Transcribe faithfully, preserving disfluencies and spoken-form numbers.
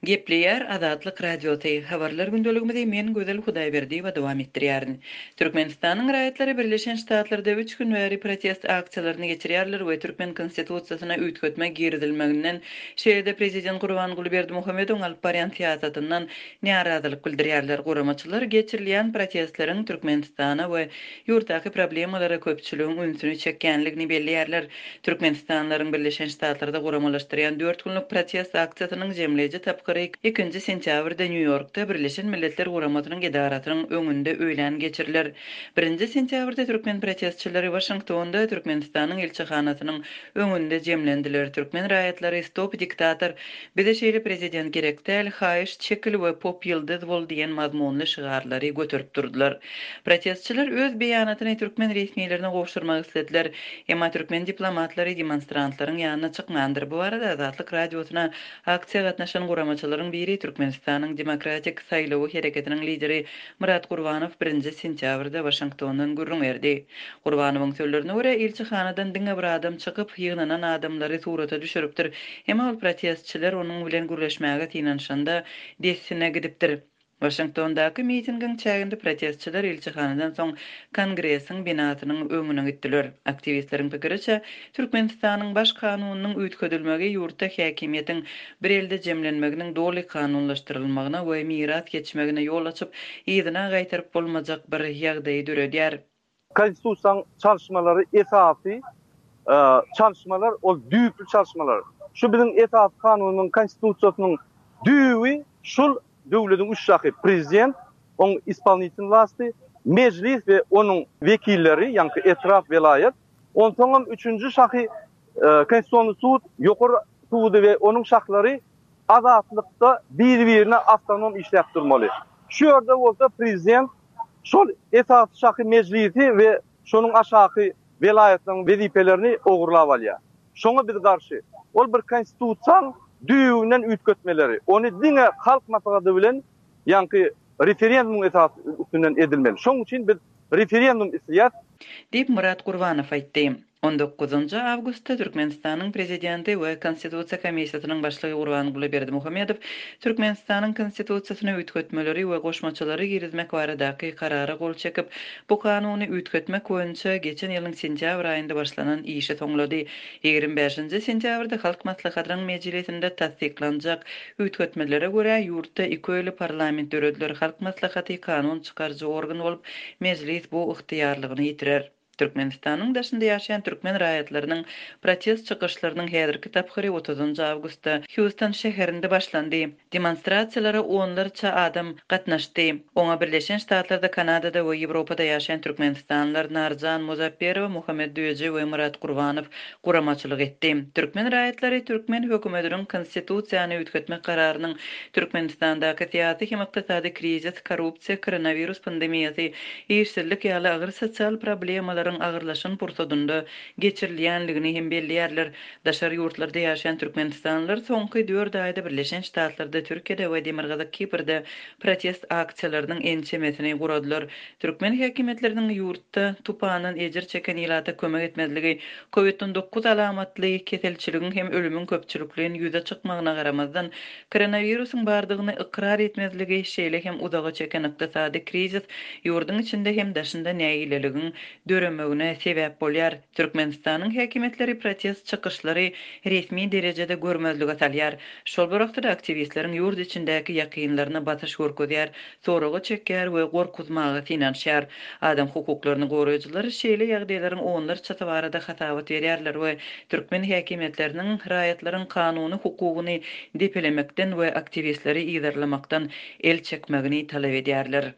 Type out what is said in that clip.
Gepleýär Azatlyk Radiosy, Habarlar gündeligimizi men Gözel Hudaýberdiýewa dowam etdirýärin. Türkmenistanyň raýatlary Birleşen Ştatlarda üç gün bäri protest aksiýalaryny geçirýärler we türkmen konstitusiýasyna üýtgetme girizilmeginden, şeýle-de prezident Gurbanguly Berdimuhamedowyň alyp barýan syýasatyndan närazylyk bildirýärler. Guramaçylar geçirilýän protestleriň Türkmenistana we ýurtdaky problemalara köpçüligiň ünsüni çekýänligini belleýärler. Türkmenistanlylaryň Birleşen Ştatlarda guramalaşdyrýan dört günlük protest aksiýasynyň jemleýji tapgyry ikinji sentýabrda Nýu-Ýorkda Birleşen Milletler Guramasynyň edarasynyň öňünde öýlän geçiriler. Birinji sentýabrda türkmen protestçileri Waşingtonda Türkmenistanyň ilçihanasynyň öňünde jemlendiler. Türkmen raýatlary Stop diktator, bize şeýle prezident gerek däl, haýyş çekil we pop ýyldyz bol diýen mazmunly şygarlary göterip durdular. Protestçiler öz beýanatyny türkmen resmilerine gowşurmak islediler. Emma türkmen diplomatlary demonstrantlaryň ýanyna çykmandyr. Bu barada Azatlyk Radiosyna aksiýa gatnaşan guramaçylaryň biri Türkmenistanyň Demokratik saýlawy hereketiniň lideri Myrat Gurbanow birinji sentýabrda Waşingtondan gürrüň berdi. Gurbanowyň sözlerine görä, ilçihanadan diňe bir adam çykyp, ýygnanan adamlary surata düşüripdir. Emma ol protestçiler onuň bilen gürleşmäge synanyşanda dessine gidipdir. Waşingtondaky mitingiň çäginde protestçiler ilçihanadan soň Kongresiň binasynyň öňüne gitdiler. Aktiwistleriň pikiriçe, Türkmenistanyň baş kanunynyň üýtgedilmegi ýurtda häkimiýetiň bir elde jemlenmeginiň doly kanunlaşdyrylmagyna we miras geçmegine ýol açyp, yzyna gaýtaryp bolmajak bir ýagdaýy döredýär. Konstitusiýanyň çalyşmalary esasy, e, çalyşmalar, ol düýpli çalyşmalar. Şu biziň esasy kanunyň konstitusiýasynyň düýbi şul döwletiň üç şahy prezident, oň ispolitelny wlasty, mejlis we onuň wekilleri, ýaňky etrap, welaýat, onsoňam üçünji şahy, e, konstitusiýa sud, ýokary sudy we onuň şahlary azatlykda bir-birine awtonom işläp durmaly. Şu ýerde bolsa prezident şol esasy şahy mejlisi we şonuň aşaky welaýatlaryň wezipelerini ogurlap alýar. Şoňa biz garşy. Ol bir konstitusiýanyň düýbünden üýtgetmeleri, ony diňe halk maslahaty bilen, ýaňky referendumyň esasy üstünden edilmeli. Şonuň üçin biz referendum isleýäris. Diýip Myrat Gurbanow aýtdy. On dokuzynjy awgustda Türkmenistanyň prezidenti we Konstitusiýa komissiýasynyň başlygy Gurbanguly Berdimuhamedow Türkmenistanyň konstitusiýasyna üýtgetmeleri we goşmaçalary girizmek baradaky karara gol çekip, bu kanuny üýtgetmek boýunça geçen ýylyň sentýabr aýynda başlanan işi soňlady. Ýigrimi bäşinji sentýabrda Halk Maslahatynyň mejlisinde tassyklanjak üýtgetmelere görä ýurtda iki öýli parlament dörediler. Halk Maslahaty kanun çykaryjy organ bolup, mejlis bu ygtyýarlygyny ýitirer. Türkmenistanyň daşynda ýaşaýan türkmen raýatlarynyň protest çykyşlarynyň häzirki tapgyry otuzynjy awgustda Houston şäherinde başlandy. Demonstrasiýalara onlarça adam gatnaşdy. Oňa Birleşen Ştatlarda, Kanadada we Ýewropada ýaşaýan türkmenistanlylar Narjan Muzapperowa, Muhammed Düýeji we Myrat Gurbanow guramaçylyk etdi. Türkmen raýatlary türkmen hökümetiniň konstitusiýany üýtgetmek kararynyň Türkmenistandaky syýasy hem ykdysady krizis, korrupsiýa, koronawirus pandemiýasy, işsizlik ýaly agyr sosial problemalaryň agyrlaşan pursadynda geçirilýänligini hem belleýärler. Daşary ýurtlarda ýaşaýan türkmenistanlylar soňky dört aýda Birleşen Ştatlarda, Türkiýede we Demirgazyk Kiprde protest aksiýalarynyň ençemesini guradylar. Türkmen häkimiýetleriniň ýurtda tupandan ejir çeken ilata kömek etmezligi, COVID on dokuz alamatly keselçiligiň hem ölümiň köpçülikleýin ýüze çykmagyna garamazdan, koronawirusyň bardygyny ykrar etmezligi, şeýle hem uzaga çeken ykdysady krizis ýurduň içinde hem daşynda nägileligiň döremegine sebäp bolýar. Türkmenistanyň häkimiýetleri protest çykyşlary resmi derejede görmezlige salýar. Şol bir wagtda aktiwistleriň ýurt içindäki ýakynlaryna basyş görkezýär, soraga çekýär we gorkuzmaga synanyşýar. Adam hukuklaryny goraýjylar şeýle ýagdaýlaryň onlarçasy barada hasabat berýärler we türkmen häkimiýetleriniň raýatlaryň kanuny hukugyny depelemekden we aktiwistleri yzarlamakdan el çekmegini talap edýärler.